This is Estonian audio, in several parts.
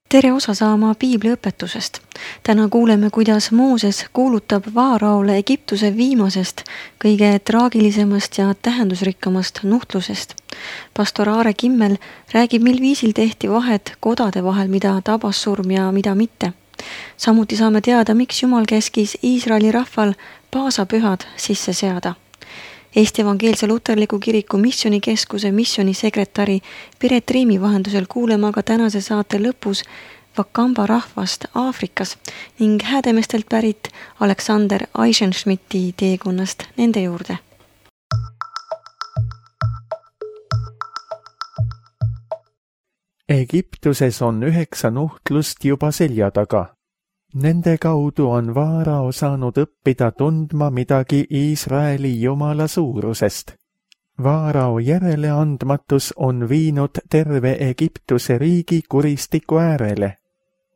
Tere osa saama piibliõpetusest. Täna kuuleme, kuidas Mooses kuulutab Vaaraole Egiptuse viimasest, kõige traagilisemast ja tähendusrikkamast nuhtlusest. Pastor Aare Kimmel räägib, mil viisil tehti vahet kodade vahel, mida tabas surm ja mida mitte. Samuti saame teada, miks Jumal käskis Iisraeli rahval paasapühad sisse seada. Eesti Evangeelse Luterliku Kiriku Missionikeskuse missionisekretäri Piret Riimi vahendusel kuuleme aga tänase saate lõpus Wakamba rahvast Aafrikas ning Häädemestelt pärit Alexander Eisenschmidti teekonnast nende juurde. Egiptuses on 9 nuhtlust juba selja taga. Nende kaudu on Vaarao saanud õppida tundma midagi Iisraeli Jumala suurusest. Vaarao järeleandmatus on viinud terve Egiptuse riigi kuristiku äärele.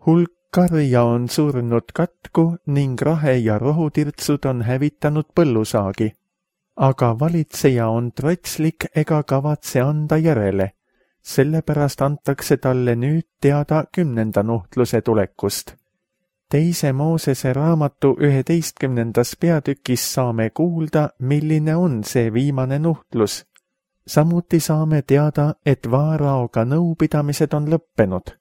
Hulk karja on surnud katku ning rahe ja rohutirtsud on hävitanud põllusaagi. Aga valitseja on trotslik ega kavatse anda järele. Sellepärast antakse talle nüüd teada 10. nuhtluse tulekust. Teise Moosese raamatu 11. peatükis saame kuulda, milline on see viimane nuhtlus. Samuti saame teada, et Vaaraoga nõupidamised on lõppenud.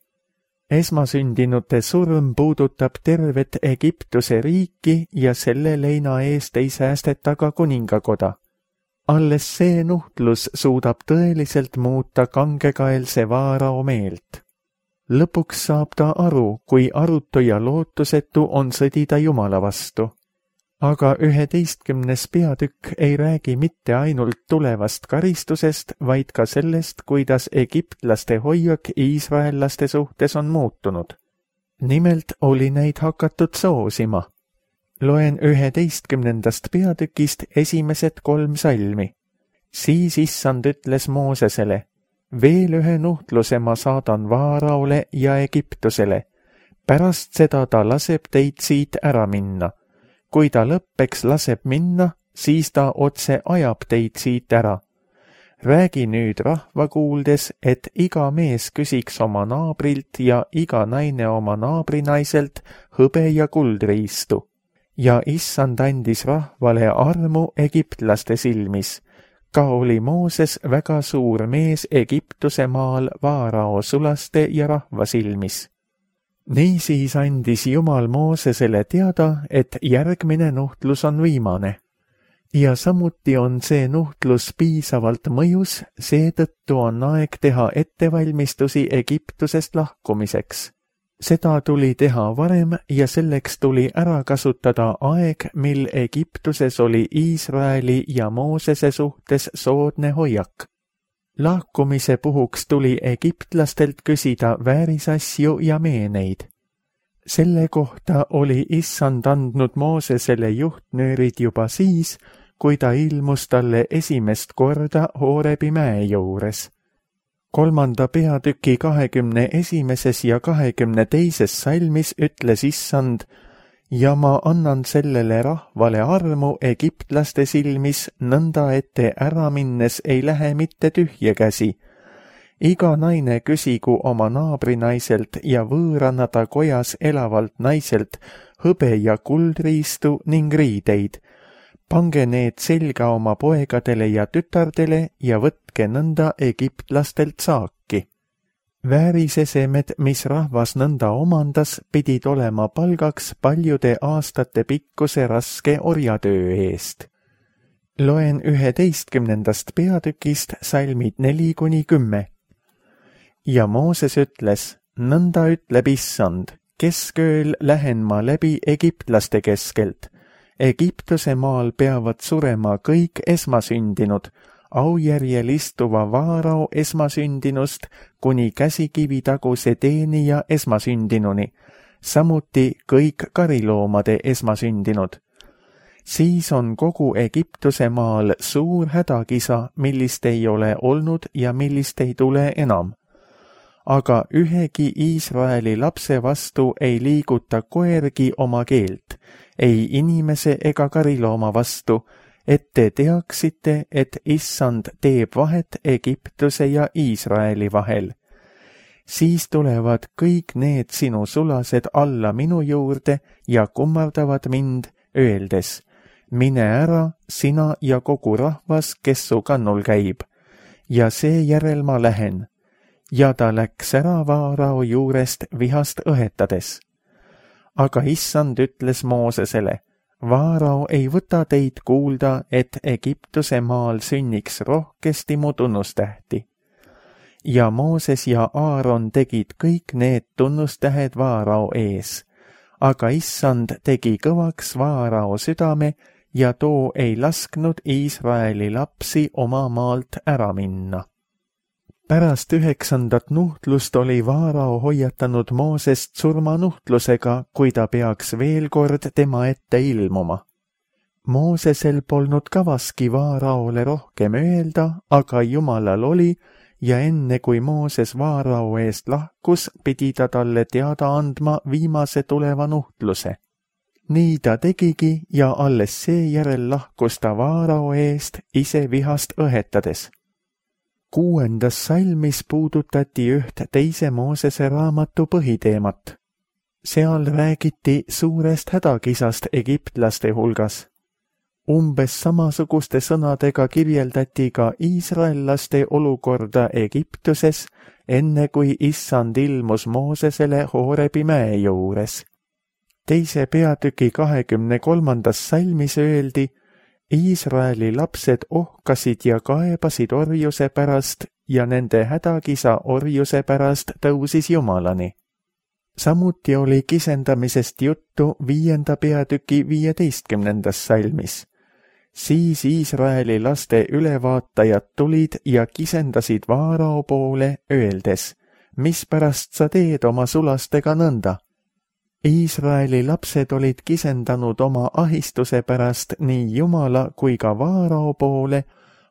Esmasündinute surm puudutab tervet Egiptuse riiki ja selle leina eest ei säästeta ka kuningakoda. Alles see nuhtlus suudab tõeliselt muuta kangekaelse Vaarao meelt. Lõpuks saab ta aru, kui arutu ja lootusetu on sõdida Jumala vastu. Aga 11. peatükk ei räägi mitte ainult tulevast karistusest, vaid ka sellest, kuidas egiptlaste hoiak iisraellaste suhtes on muutunud. Nimelt oli neid hakatud soosima. Loen 11. peatükist esimesed 3 salmi. Siis Issand ütles Moosesele: veel ühe nuhtluse ma saadan Vaaraole ja Egiptusele. Pärast seda ta laseb teid siit ära minna. Kui ta lõppeks laseb minna, siis ta otse ajab teid siit ära. Räägi nüüd rahva kuuldes, et iga mees küsiks oma naabrilt ja iga naine oma naabrinaiselt hõbe ja kuldriistu. Ja Issand andis rahvale armu egiptlaste silmis. Ka oli Mooses väga suur mees Egiptuse maal Vaarao sulaste ja rahva silmis. Niisiis andis Jumal Moosesele teada, et järgmine nuhtlus on viimane. Ja samuti on see nuhtlus piisavalt mõjus, seetõttu on aeg teha ettevalmistusi Egiptusest lahkumiseks. Seda tuli teha varem ja selleks tuli ära kasutada aeg, mil Egiptuses oli Iisraeli ja Moosese suhtes soodne hoiak. Lahkumise puhuks tuli egiptlastelt küsida väärisasju ja meeneid. Selle kohta oli Issand andnud Moosesele juhtnöörid juba siis, kui ta ilmus talle esimest korda Hoorebi mäe juures. 3. peatüki 21. ja 22. salmis ütles Issand: ja ma annan sellele rahvale armu egiptlaste silmis, nõnda ette ära minnes ei lähe mitte tühje käsi. Iga naine küsigu oma naabrinaiselt ja võõranada kojas elavalt naiselt hõbe ja kuldriistu ning riideid. Pange need selga oma poegadele ja tütardele ja võtke nõnda egiptlastelt saaki. Väärisesemed, mis rahvas nõnda omandas, pidid olema palgaks paljude aastate pikkuse raske orjatöö eest. Loen 11. peatükist salmid 4-10. Ja Mooses ütles: nõnda ütleb Issand, keskööl lähen ma läbi egiptlaste keskelt. Egiptuse maal peavad surema kõik esmasündinud, aujärjel istuva Vaarao esmasündinust kuni käsikivitaguse teenija esmasündinuni, samuti kõik kariloomade esmasündinud. Siis on kogu Egiptuse maal suur hädakisa, millist ei ole olnud ja millist ei tule enam. Aga ühegi Iisraeli lapse vastu ei liiguta koergi oma keelt, ei inimese ega karilooma vastu, et te teaksite, et Issand teeb vahet Egiptuse ja Iisraeli vahel. siis tulevad kõik need sinu sulased alla minu juurde ja kummardavad mind, öeldes, mine ära, sina ja kogu rahvas, kes su kannul käib, ja seejärel ma lähen. Ja ta läks ära Vaarao juurest vihast õhetades. Aga issand ütles Moosesele, Vaarao ei võta teid kuulda, et Egiptuse maal sünniks rohkesti mu tunnustähti. Ja Mooses ja Aaron tegid kõik need tunnustähed Vaarao ees, aga issand tegi kõvaks Vaarao südame ja too ei lasknud Iisraeli lapsi oma maalt ära minna. Pärast 9. nuhtlust oli Vaarao hoiatanud Moosest surmanuhtlusega, kui ta peaks veel kord tema ette ilmuma. Moosesel polnud kavaski Vaaraole rohkem öelda, aga Jumalal oli, ja enne kui Mooses Vaarao eest lahkus, pidi ta talle teada andma viimase tuleva nuhtluse. Nii ta tegigi ja alles seejärel lahkus ta Vaarao eest ise vihast õhetades. 6. salmis puudutati üht teise Moosese raamatu põhiteemat. Seal räägiti suurest hädakisast egiptlaste hulgas. Umbes samasuguste sõnadega kirjeldati ka iisraellaste olukorda Egiptuses, enne kui issand ilmus Moosesele Hoorebi mäe juures. 2. peatüki 23. salmis öeldi, Iisraeli lapsed ohkasid ja kaebasid orjuse pärast ja nende hädakisa orjuse pärast tõusis Jumalani. Samuti oli kisendamisest juttu 5. peatüki 15. salmis. Siis Iisraeli laste ülevaatajad tulid ja kisendasid Vaarao poole, öeldes, mispärast sa teed oma sulastega nõnda? Iisraeli lapsed olid kisendanud oma ahistuse pärast nii Jumala kui ka Vaarao poole,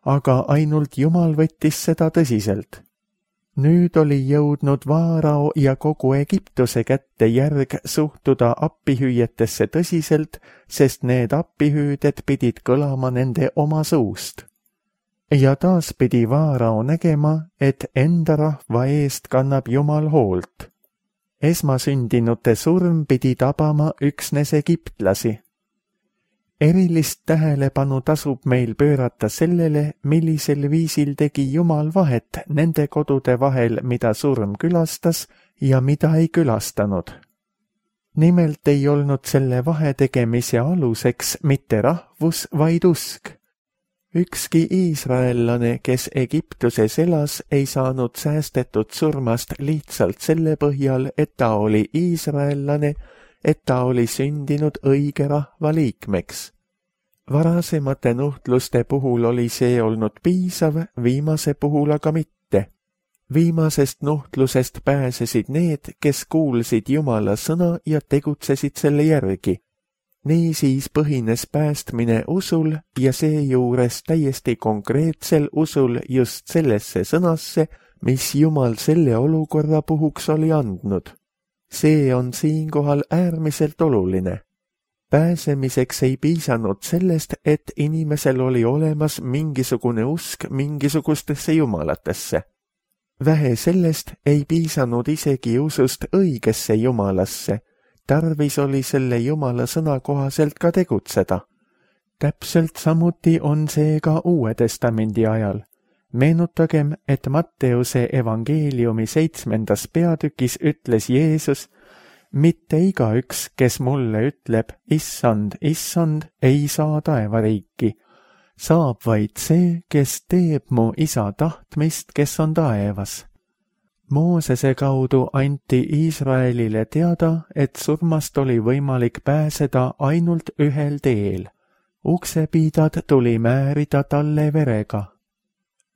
aga ainult Jumal võttis seda tõsiselt. Nüüd oli jõudnud Vaarao ja kogu Egiptuse kätte järg suhtuda appihüüetesse tõsiselt, sest need appihüüded pidid kõlama nende oma suust. Ja taas pidi Vaarao nägema, et enda rahva eest kannab Jumal hoolt. Esmasündinute surm pidi tabama üksnes egiptlasi. Erilist tähelepanu tasub meil pöörata sellele, millisel viisil tegi Jumal vahet nende kodude vahel, mida surm külastas ja mida ei külastanud. Nimelt ei olnud selle vahetegemise aluseks mitte rahvus, vaid usk. Ükski iisraellane, kes Egiptuses elas, ei saanud säästetud surmast lihtsalt selle põhjal, et ta oli iisraellane, et ta oli sündinud õige rahva liikmeks. Varasemate nuhtluste puhul oli see olnud piisav, viimase puhul aga mitte. Viimasest nuhtlusest pääsesid need, kes kuulsid Jumala sõna ja tegutsesid selle järgi. Niisiis põhines päästmine usul ja seejuures täiesti konkreetsel usul just sellesse sõnasse, mis Jumal selle olukorra puhuks oli andnud. See on siinkohal äärmiselt oluline. Pääsemiseks ei piisanud sellest, et inimesel oli olemas mingisugune usk mingisugustesse jumalatesse. Vähe sellest ei piisanud isegi usust õigesse jumalasse. Tarvis oli selle Jumala sõna kohaselt ka tegutseda. Täpselt samuti on see ka Uue Testamendi ajal. Meenutagem, et Matteuse evangeeliumi 7. peatükis ütles Jeesus, mitte igaüks, kes mulle ütleb, issand, issand, ei saa taevariiki. Saab vaid see, kes teeb mu isa tahtmist, kes on taevas. Moosese kaudu anti Iisraelile teada, et surmast oli võimalik pääseda ainult ühel teel. Uksepiidad tuli määrida talle verega.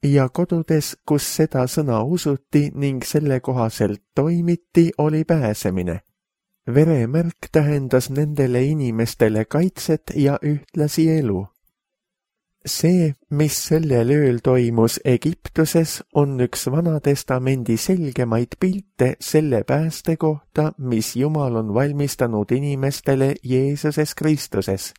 Ja kodudes, kus seda sõna usuti ning selle kohaselt toimiti, oli pääsemine. Veremärk tähendas nendele inimestele kaitset ja ühtlasi elu. See, mis sellel ööl toimus Egiptuses, on üks Vana Testamendi selgemaid pilte selle pääste kohta, mis Jumal on valmistanud inimestele Jeesuses Kristuses.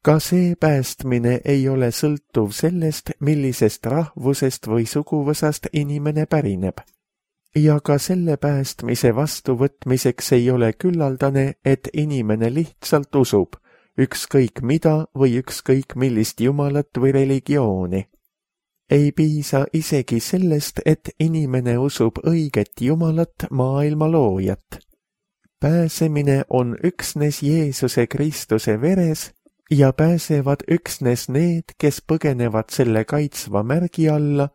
Ka see päästmine ei ole sõltuv sellest, millisest rahvusest või suguvõsast inimene pärineb. ja ka selle päästmise vastuvõtmiseks ei ole küllaldane, et inimene lihtsalt usub, ükskõik mida või ükskõik millist jumalat või religiooni. Ei piisa isegi sellest, et inimene usub õiget Jumalat, maailma loojat. Pääsemine on üksnes Jeesuse Kristuse veres ja pääsevad üksnes need, kes põgenevad selle kaitsva märgi alla,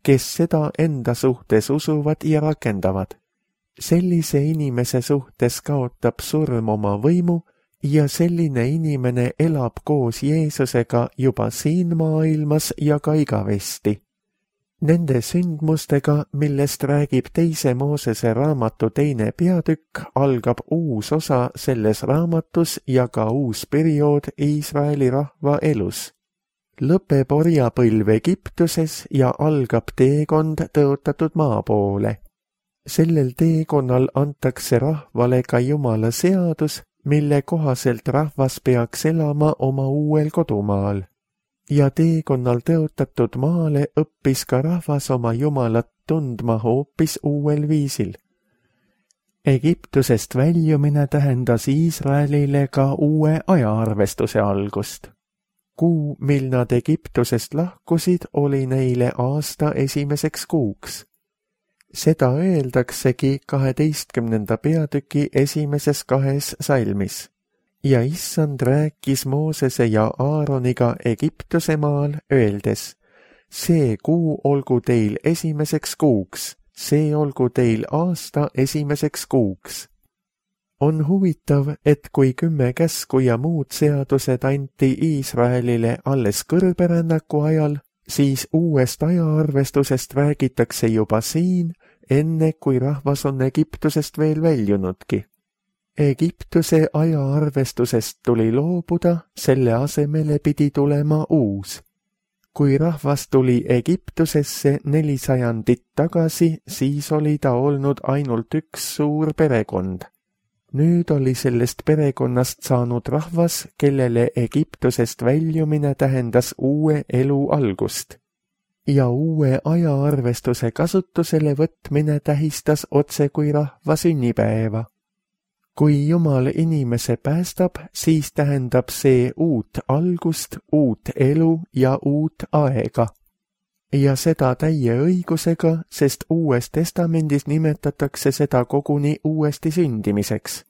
kes seda enda suhtes usuvad ja rakendavad. Sellise inimese suhtes kaotab surm oma võimu ja selline inimene elab koos Jeesusega juba siin maailmas ja ka igavesti. Nende sündmustega, millest räägib 2. Moosese raamatu 2. peatükk, algab uus osa selles raamatus ja ka uus periood Iisraeli rahva elus. Lõpeb orjapõlv Egiptuses ja algab teekond tõotatud maa poole. Sellel teekonnal antakse rahvale ka Jumala seadus, mille kohaselt rahvas peaks elama oma uuel kodumaal. Ja teekonnal tõotatud maale õppis ka rahvas oma Jumalat tundma hoopis uuel viisil. Egiptusest väljumine tähendas Iisraelile ka uue ajaarvestuse algust. Kuu, mil nad Egiptusest lahkusid, oli neile aasta 1. kuuks. Seda öeldaksegi 12. peatüki 1. 2 salmis. Ja issand rääkis Moosese ja Aaroniga Egiptuse maal, öeldes, see kuu olgu teil 1. kuuks, see olgu teil aasta 1. kuuks. On huvitav, et kui 10 käsku ja muud seadused anti Iisraelile alles kõrberännaku ajal, siis uuest ajaarvestusest räägitakse juba siin, enne kui rahvas on Egiptusest veel väljunudki. Egiptuse ajaarvestusest tuli loobuda, selle asemele pidi tulema uus. Kui rahvas tuli Egiptusesse 400 tagasi, siis oli ta olnud ainult üks suur perekond. Nüüd oli sellest perekonnast saanud rahvas, kellele Egiptusest väljumine tähendas uue elu algust. Ja uue ajaarvestuse kasutusele võtmine tähistas otse kui rahva sünnipäeva. Kui Jumal inimese päästab, siis tähendab see uut algust, uut elu ja uut aega. Ja seda täie õigusega, sest Uues Testamendis nimetatakse seda koguni uuesti sündimiseks.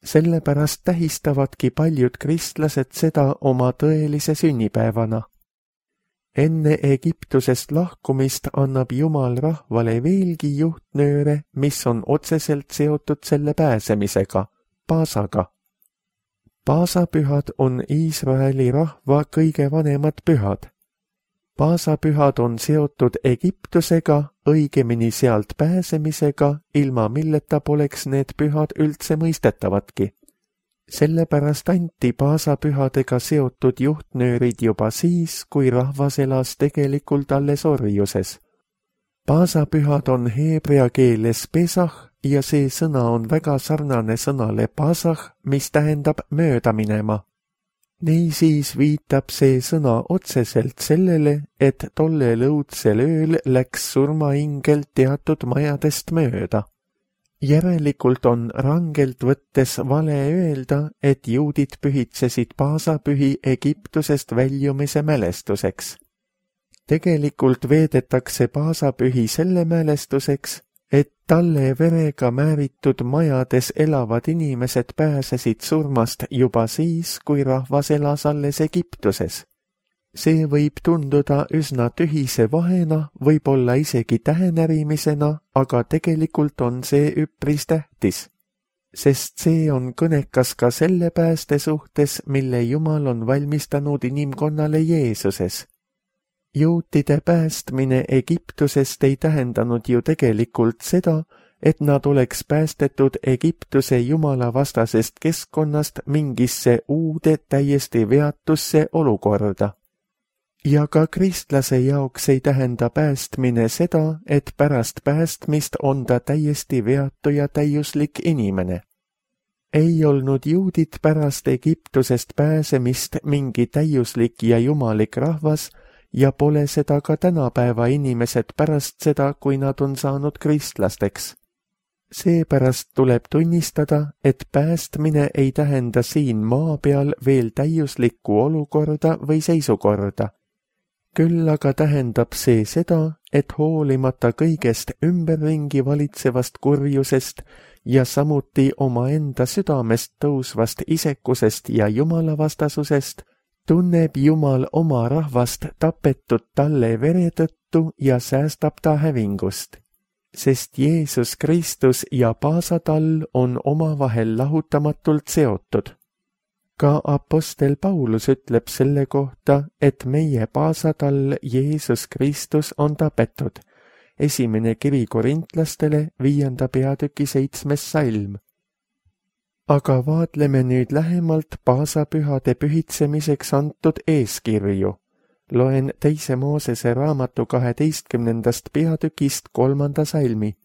Sellepärast tähistavadki paljud kristlased seda oma tõelise sünnipäevana. Enne Egiptusest lahkumist annab Jumal rahvale veelgi juhtnööre, mis on otseselt seotud selle pääsemisega, Paasaga. Paasapühad on Iisraeli rahva kõige vanemad pühad. Paasapühad on seotud Egiptusega, õigemini sealt pääsemisega, ilma milleta poleks need pühad üldse mõistetavadki. Sellepärast anti paasapühadega seotud juhtnöörid juba siis, kui rahvas elas tegelikult alles orjuses. Paasapühad on heebrea keeles pesah ja see sõna on väga sarnane sõnale pasah, mis tähendab mööda minema. Niisiis viitab see sõna otseselt sellele, et tollel õudsel ööl läks surmaingel teatud majadest mööda. Järelikult on rangelt võttes vale öelda, et juudid pühitsesid paasapühi Egiptusest väljumise mälestuseks. Tegelikult veedetakse paasapühi selle mälestuseks, et talle verega määritud majades elavad inimesed pääsesid surmast juba siis, kui rahvas elas alles Egiptuses. See võib tunduda üsna tühise vahena, võib-olla isegi tähenärimisena, aga tegelikult on see üpris tähtis. Sest see on kõnekas ka selle pääste suhtes, mille Jumal on valmistanud inimkonnale Jeesuses. Juutide päästmine Egiptusest ei tähendanud ju tegelikult seda, et nad oleks päästetud Egiptuse jumalavastasest keskkonnast mingisse uude täiesti veatusse olukorda. Ja ka kristlase jaoks ei tähenda päästmine seda, et pärast päästmist on ta täiesti veatu ja täiuslik inimene. Ei olnud juudid pärast Egiptusest pääsemist mingi täiuslik ja jumalik rahvas ja pole seda ka tänapäeva inimesed pärast seda, kui nad on saanud kristlasteks. Seepärast tuleb tunnistada, et päästmine ei tähenda siin maa peal veel täiuslikku olukorda või seisukorda. Küll aga tähendab see seda, et hoolimata kõigest ümberringi valitsevast kurjusest ja samuti omaenda südamest tõusvast isekusest ja jumalavastasusest, tunneb Jumal oma rahvast tapetud talle vere tõttu ja säästab ta hävingust. Sest Jeesus Kristus ja paasatall on omavahel lahutamatult seotud. Ka apostel Paulus ütleb selle kohta, et meie paasatall Jeesus Kristus on tapetud. Esimene kiri korintlastele 5. peatüki 7. salm. Aga vaatleme nüüd lähemalt paasapühade pühitsemiseks antud eeskirju. Loen 2. Moosese raamatu 12. peatükist 3. salmi.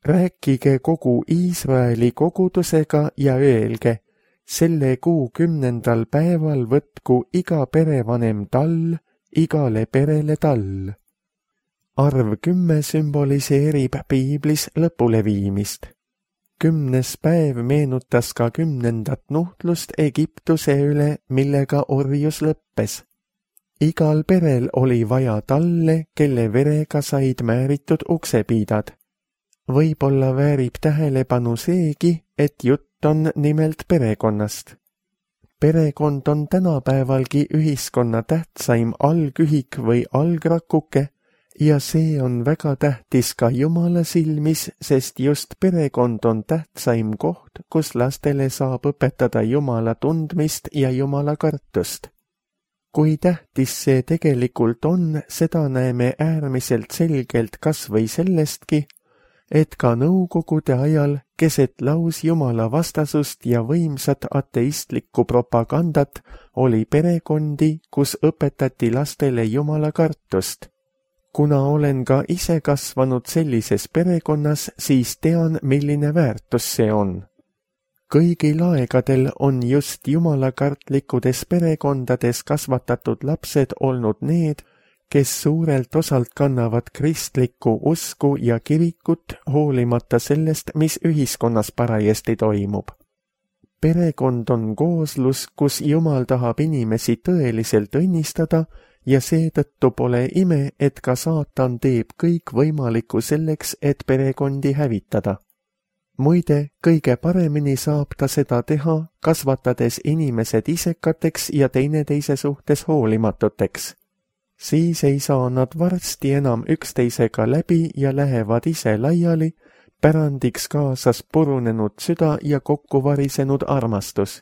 Rääkige kogu Iisraeli kogudusega ja öelge, selle kuu 10. päeval võtku iga perevanem tall, igale perele tall. Arv 10 sümboliseerib piiblis lõpuleviimist. 10. päev meenutas ka 10. nuhtlust Egiptuse üle, millega orjus lõppes. Igal perel oli vaja talle, kelle verega said määritud uksepiidad. Võib-olla väärib tähelepanu seegi, et jutt on nimelt perekonnast. Perekond on tänapäevalgi ühiskonna tähtsaim algühik või algrakuke ja see on väga tähtis ka Jumala silmis, sest just perekond on tähtsaim koht, kus lastele saab õpetada Jumala tundmist ja Jumala kartust. Kui tähtis see tegelikult on, seda näeme äärmiselt selgelt kas või sellestki, et ka nõukogude ajal keset lausjumala vastasust ja võimsat ateistlikku propagandat oli perekondi, kus õpetati lastele Jumala kartust. Kuna olen ka ise kasvanud sellises perekonnas, siis tean, milline väärtus see on. Kõigil aegadel on just jumalakartlikkudes perekondades kasvatatud lapsed olnud need, kes suurelt osalt kannavad kristlikku usku ja kirikut hoolimata sellest, mis ühiskonnas parajasti toimub. Perekond on kooslus, kus Jumal tahab inimesi tõeliselt õnnistada ja seetõttu pole ime, et ka saatan teeb kõik võimalikku selleks, et perekondi hävitada. Muide, kõige paremini saab ta seda teha, kasvatades inimesed isekateks ja teineteise suhtes hoolimatuteks. Siis ei saa nad varsti enam üksteisega läbi ja lähevad ise laiali, pärandiks kaasas purunenud süda ja kokkuvarisenud armastus.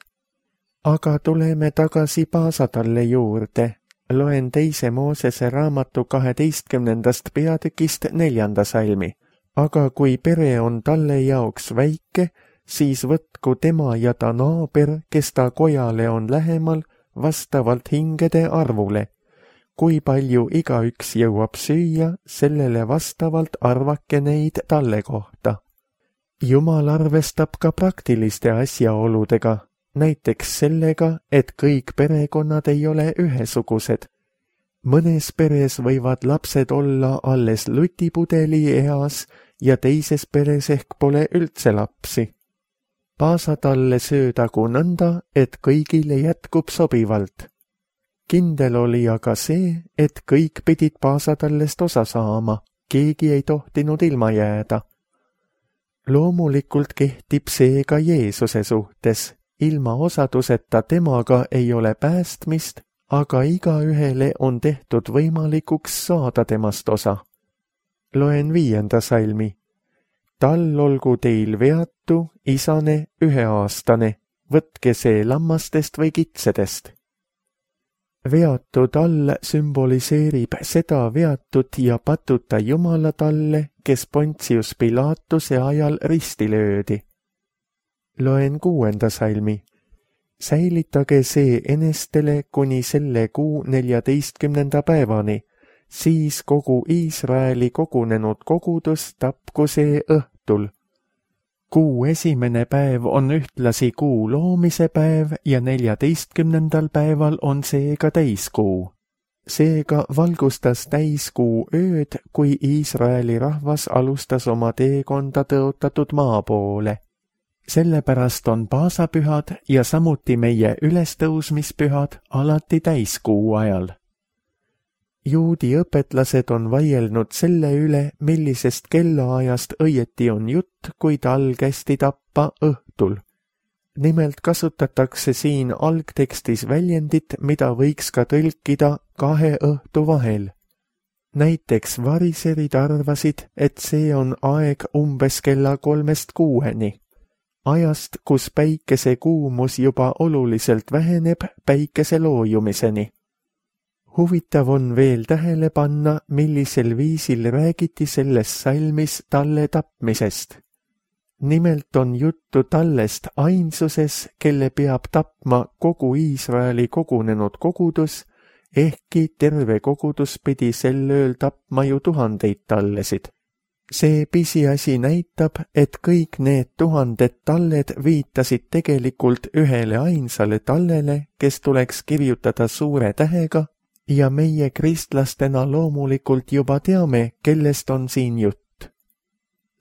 Aga tuleme tagasi paasatalle juurde. Loen 2. Moosese raamatu 12. peatükist 4. salmi. Aga kui pere on talle jaoks väike, siis võtku tema ja ta naaber, kes ta kojale on lähemal, vastavalt hingede arvule. Kui palju igaüks jõuab süüa, sellele vastavalt arvake neid talle kohta. Jumal arvestab ka praktiliste asjaoludega, näiteks sellega, et kõik perekonnad ei ole ühesugused. Mõnes peres võivad lapsed olla alles lutipudeli eas ja teises peres ehk pole üldse lapsi. Paasatalle söödagu nõnda, et kõigile jätkub sobivalt. Kindel oli aga see, et kõik pidid paasatallest osa saama, keegi ei tohtinud ilma jääda. Loomulikult kehtib see ka Jeesuse suhtes, ilma osaduseta temaga ei ole päästmist, aga igaühele on tehtud võimalikuks saada temast osa. Loen 5. salmi. Tal olgu teil veatu, isane, 1-aastane, võtke see lammastest või kitsedest. Veatu tall sümboliseerib seda veatut ja patuta Jumala talle, kes Pontius Pilatuse ajal risti löödi. Loen 6. salmi. Säilitage see enestele kuni selle kuu 14. päevani, siis kogu Iisraeli kogunenud kogudus tapku see õhtul. Kuu esimene päev on ühtlasi kuu loomise päev ja 14. päeval on see ka täiskuu. Seega valgustas täiskuu ööd, kui Iisraeli rahvas alustas oma teekonda tõotatud maa poole. Sellepärast on paasapühad ja samuti meie ülestõusmispühad alati täiskuu ajal. Juudi õpetlased on vaielnud selle üle, millisest kellaajast õieti on jutt, kui tal kästi tappa õhtul. Nimelt kasutatakse siin algtekstis väljendit, mida võiks ka tõlkida 2 õhtu vahel. Näiteks variserid arvasid, et see on aeg umbes kella 3-6, ajast, kus päikese kuumus juba oluliselt väheneb päikese loojumiseni. Huvitav on veel tähele panna, millisel viisil räägiti selles salmis talle tapmisest. Nimelt on juttu tallest ainsuses, kelle peab tapma kogu Iisraeli kogunenud kogudus, ehkki terve kogudus pidi sel ööl tapma ju 1000 tallesid. See pisiasi näitab, et kõik need 1000 talled viitasid tegelikult ühele ainsale tallele, kes tuleks kirjutada suure tähega, ja meie kristlastena loomulikult juba teame, kellest on siin jutt.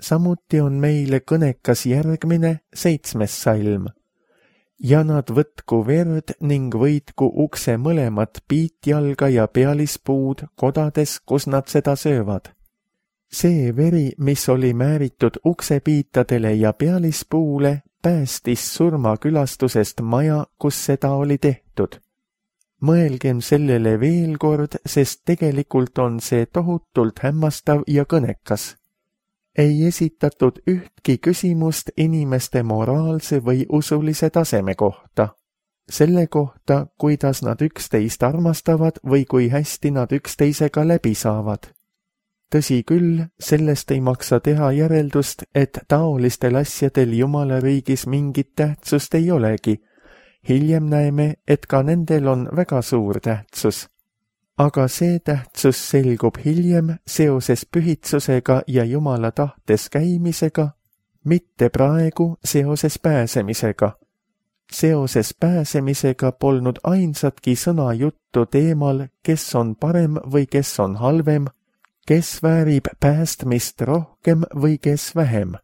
Samuti on meile kõnekas järgmine 7. salm. Ja nad võtku verd ning võitku ukse mõlemat piitjalga ja pealispuud kodades, kus nad seda söövad. See veri, mis oli määritud uksepiitadele ja pealispuule, päästis surmakülastusest maja, kus seda oli tehtud. Mõelgem sellele veel kord, sest tegelikult on see tohutult hämmastav ja kõnekas. Ei esitatud ühtki küsimust inimeste moraalse või usulise taseme kohta. Selle kohta, kuidas nad üksteist armastavad või kui hästi nad üksteisega läbi saavad. Tõsi küll, sellest ei maksa teha järeldust, et taolistel asjadel Jumala riigis mingit tähtsust ei olegi. Hiljem näeme, et ka nendel on väga suur tähtsus. Aga see tähtsus selgub hiljem seoses pühitsusega ja Jumala tahtes käimisega, mitte praegu seoses pääsemisega. Seoses pääsemisega polnud ainsatki sõna juttu teemal, kes on parem või kes on halvem, kes väärib päästmist rohkem või kes vähem.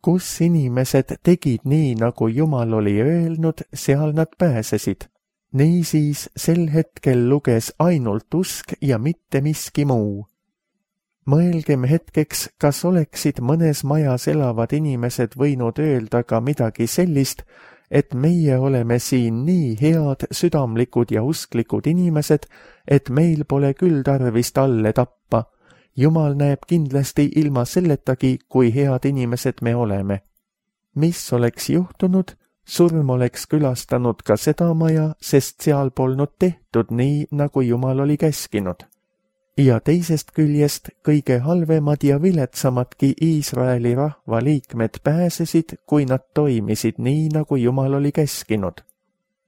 Kus inimesed tegid nii, nagu Jumal oli öelnud, seal nad pääsesid. Niisiis sel hetkel luges ainult usk ja mitte miski muu. Mõelgem hetkeks, kas oleksid mõnes majas elavad inimesed võinud öelda ka midagi sellist, et meie oleme siin nii head, südamlikud ja usklikud inimesed, et meil pole küll tarvis talle tappa. Jumal näeb kindlasti ilma selletagi, kui head inimesed me oleme. Mis oleks juhtunud? Surm oleks külastanud ka seda maja, sest seal polnud tehtud nii, nagu Jumal oli käskinud. Ja teisest küljest kõige halvemad ja viletsamadki Iisraeli rahva liikmed pääsesid, kui nad toimisid nii, nagu Jumal oli käskinud.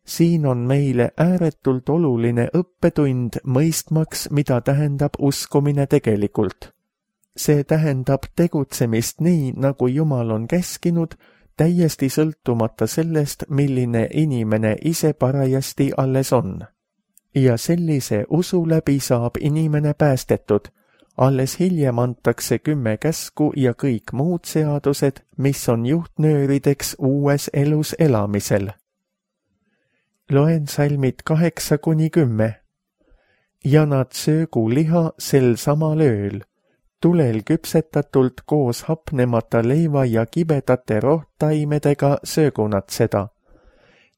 Siin on meile ääretult oluline õppetund mõistmaks, mida tähendab uskumine tegelikult. See tähendab tegutsemist nii, nagu Jumal on käskinud, täiesti sõltumata sellest, milline inimene ise parajasti alles on. Ja sellise usu läbi saab inimene päästetud. Alles hiljem antakse 10 käsku ja kõik muud seadused, mis on juhtnöörideks uues elus elamisel. Loen salmid 8-10. Ja nad söögu liha sel samal ööl. Tulel küpsetatult koos hapnemata leiva ja kibedate rohtaimedega söögu nad seda.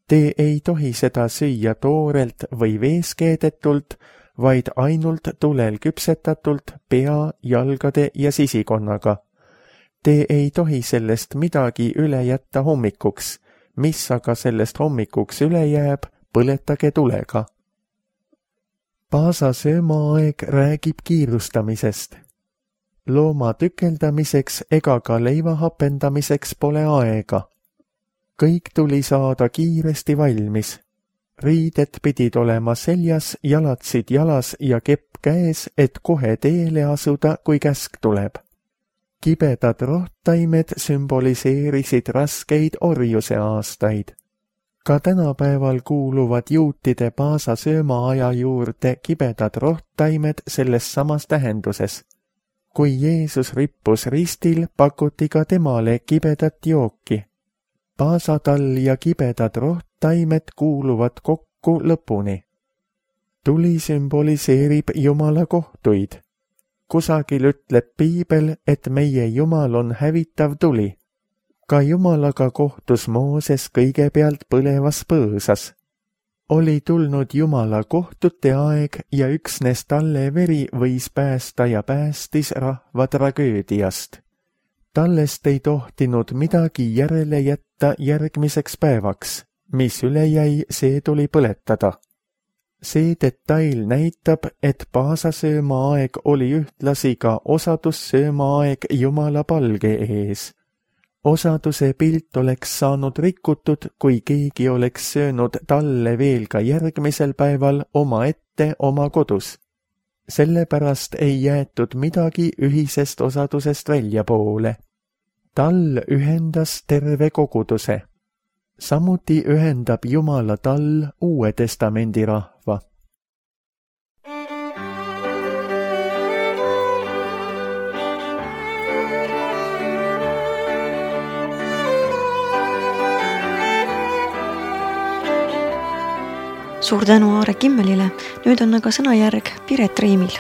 Te ei tohi seda süüa toorelt või veeskeedetult, vaid ainult tulel küpsetatult pea, jalgade ja sisikonnaga. Te ei tohi sellest midagi üle jätta hommikuks, mis aga sellest hommikuks üle jääb, põletage tulega. Paasa söömaaeg räägib kiirustamisest. Looma tükeldamiseks ega ka leiva hapendamiseks pole aega. Kõik tuli saada kiiresti valmis. Riided pidid olema seljas, jalatsid jalas ja kepp käes, et kohe teele asuda, kui käsk tuleb. Kibedad rohtaimed sümboliseerisid raskeid orjuse aastaid. Ka tänapäeval kuuluvad juutide Paasa söömaaja juurde kibedad rohttaimed selles samas tähenduses. Kui Jeesus rippus ristil, pakuti ka temale kibedat jooki. Paasatall ja kibedad rohttaimed kuuluvad kokku lõpuni. Tuli sümboliseerib Jumala kohtuid. Kusagil ütleb Piibel, et meie Jumal on hävitav tuli. Ka Jumalaga kohtus Mooses kõigepealt põlevas põõsas. Oli tulnud Jumala kohtute aeg ja üksnes talle veri võis päästa ja päästis rahva tragöödiast. Tallest ei tohtinud midagi järele jätta järgmiseks päevaks. Mis üle jäi, see tuli põletada. See detail näitab, et paasasöömaaeg oli ühtlasi ka osadussöömaaeg Jumala palge ees. Osaduse pilt oleks saanud rikutud, kui keegi oleks söönud talle veel ka järgmisel päeval omaette oma kodus. Sellepärast ei jäetud midagi ühisest osadusest väljapoole. Tall ühendas terve koguduse. Samuti ühendab Jumala tall Uue Testamendi rahva. Suur tänu Aare Kimmelile, nüüd on aga sõnajärg Piret Riimil.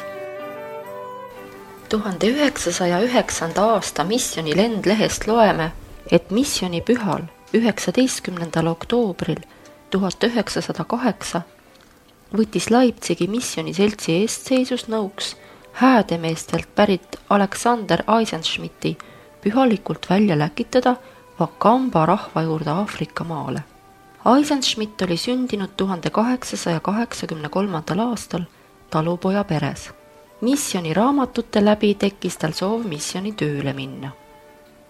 1909. aasta misjoni lendlehest loeme, et missionipühal 19. oktoobril 1908 võttis Leipzigi missioniseltsi eestseisusnõuks häädemeestelt pärit Alexander Eisenschmidti pühalikult välja läkitada Wakamba rahva juurde Aafrika maale. Eisenschmidt oli sündinud 1883. aastal talupoja peres. Missioni raamatute läbi tekkis tal soov missioni tööle minna.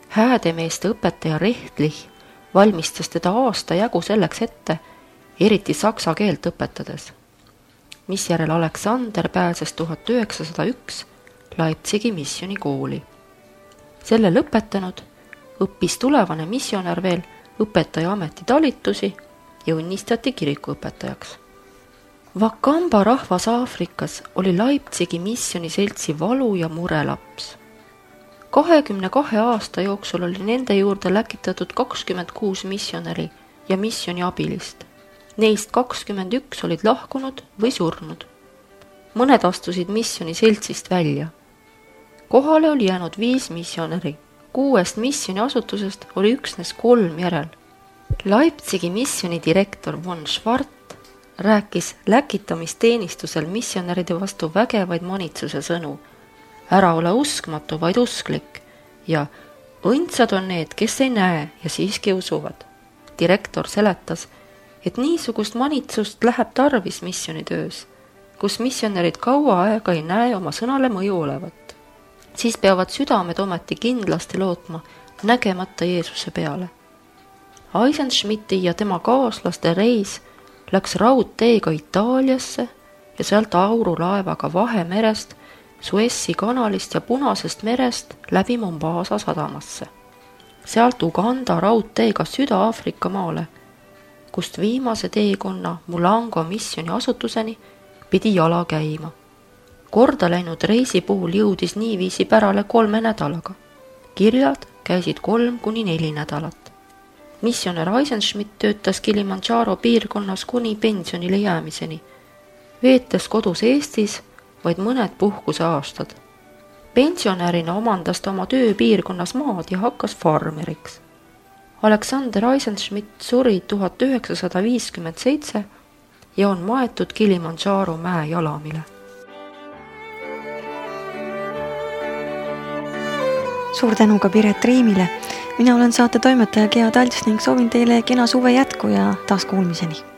Häädemeeste õpetaja Rechtlich valmistas teda aasta jagu selleks ette, eriti saksa keelt õpetades, misjärel Alexander pääses 1901 Leipzigi missionikooli. Selle lõpetanud õppis tulevane missionär veel õpetaja ametitalitusi ja õnnistati kirikuõpetajaks. Wakamba rahvas Aafrikas oli Leipzigi missioniseltsi valu ja murelaps. 22 aasta jooksul oli nende juurde läkitatud 26 missionäri ja missioni abilist. Neist 21 olid lahkunud või surnud. Mõned astusid missioniseltsist välja. Kohale oli jäänud 5 missionäri. 6 missioni asutusest oli üksnes 3 järel. Leipzigi missioni direktor von Schwart rääkis läkitamisteenistusel missionäride vastu vägevaid manitsuse sõnu. Ära ole uskmatu, vaid usklik ja õndsad on need, kes ei näe ja siiski usuvad. Direktor seletas, et niisugust manitsust läheb tarvis missionitöös, kus missionärid kaua aega ei näe oma sõnale mõju olevat. Siis peavad südamed ometi kindlasti lootma nägemata Jeesuse peale. Eisenschmidti ja tema kaaslaste reis läks raudteega Itaaliasse ja sealt aurulaevaga Vahemerest, Suessi kanalist ja Punasest merest läbi Mombasa sadamasse. Sealt Uganda raudteega Süda-Aafrika maale, kust viimase teekonna Mulango missioni asutuseni pidi jala käima. Korda läinud reisi puhul jõudis niiviisi pärale 3 nädalaga. Kirjad käisid 3-4 nädalat. Missionär Eisenschmidt töötas Kilimanjaro piirkonnas kuni pensionile jäämiseni, veetes kodus Eestis vaid mõned puhkuse aastad. Pensionärina omandas ta oma tööpiirkonnas maad ja hakkas farmeriks. Alexander Eisenschmidt suri 1957 ja on maetud Kilimanjaro mäe jalamile. Suur tänu ka Piret Riimile. Mina olen saate toimetaja Gea Talts ning soovin teile kena suve jätku ja taas kuulmiseni.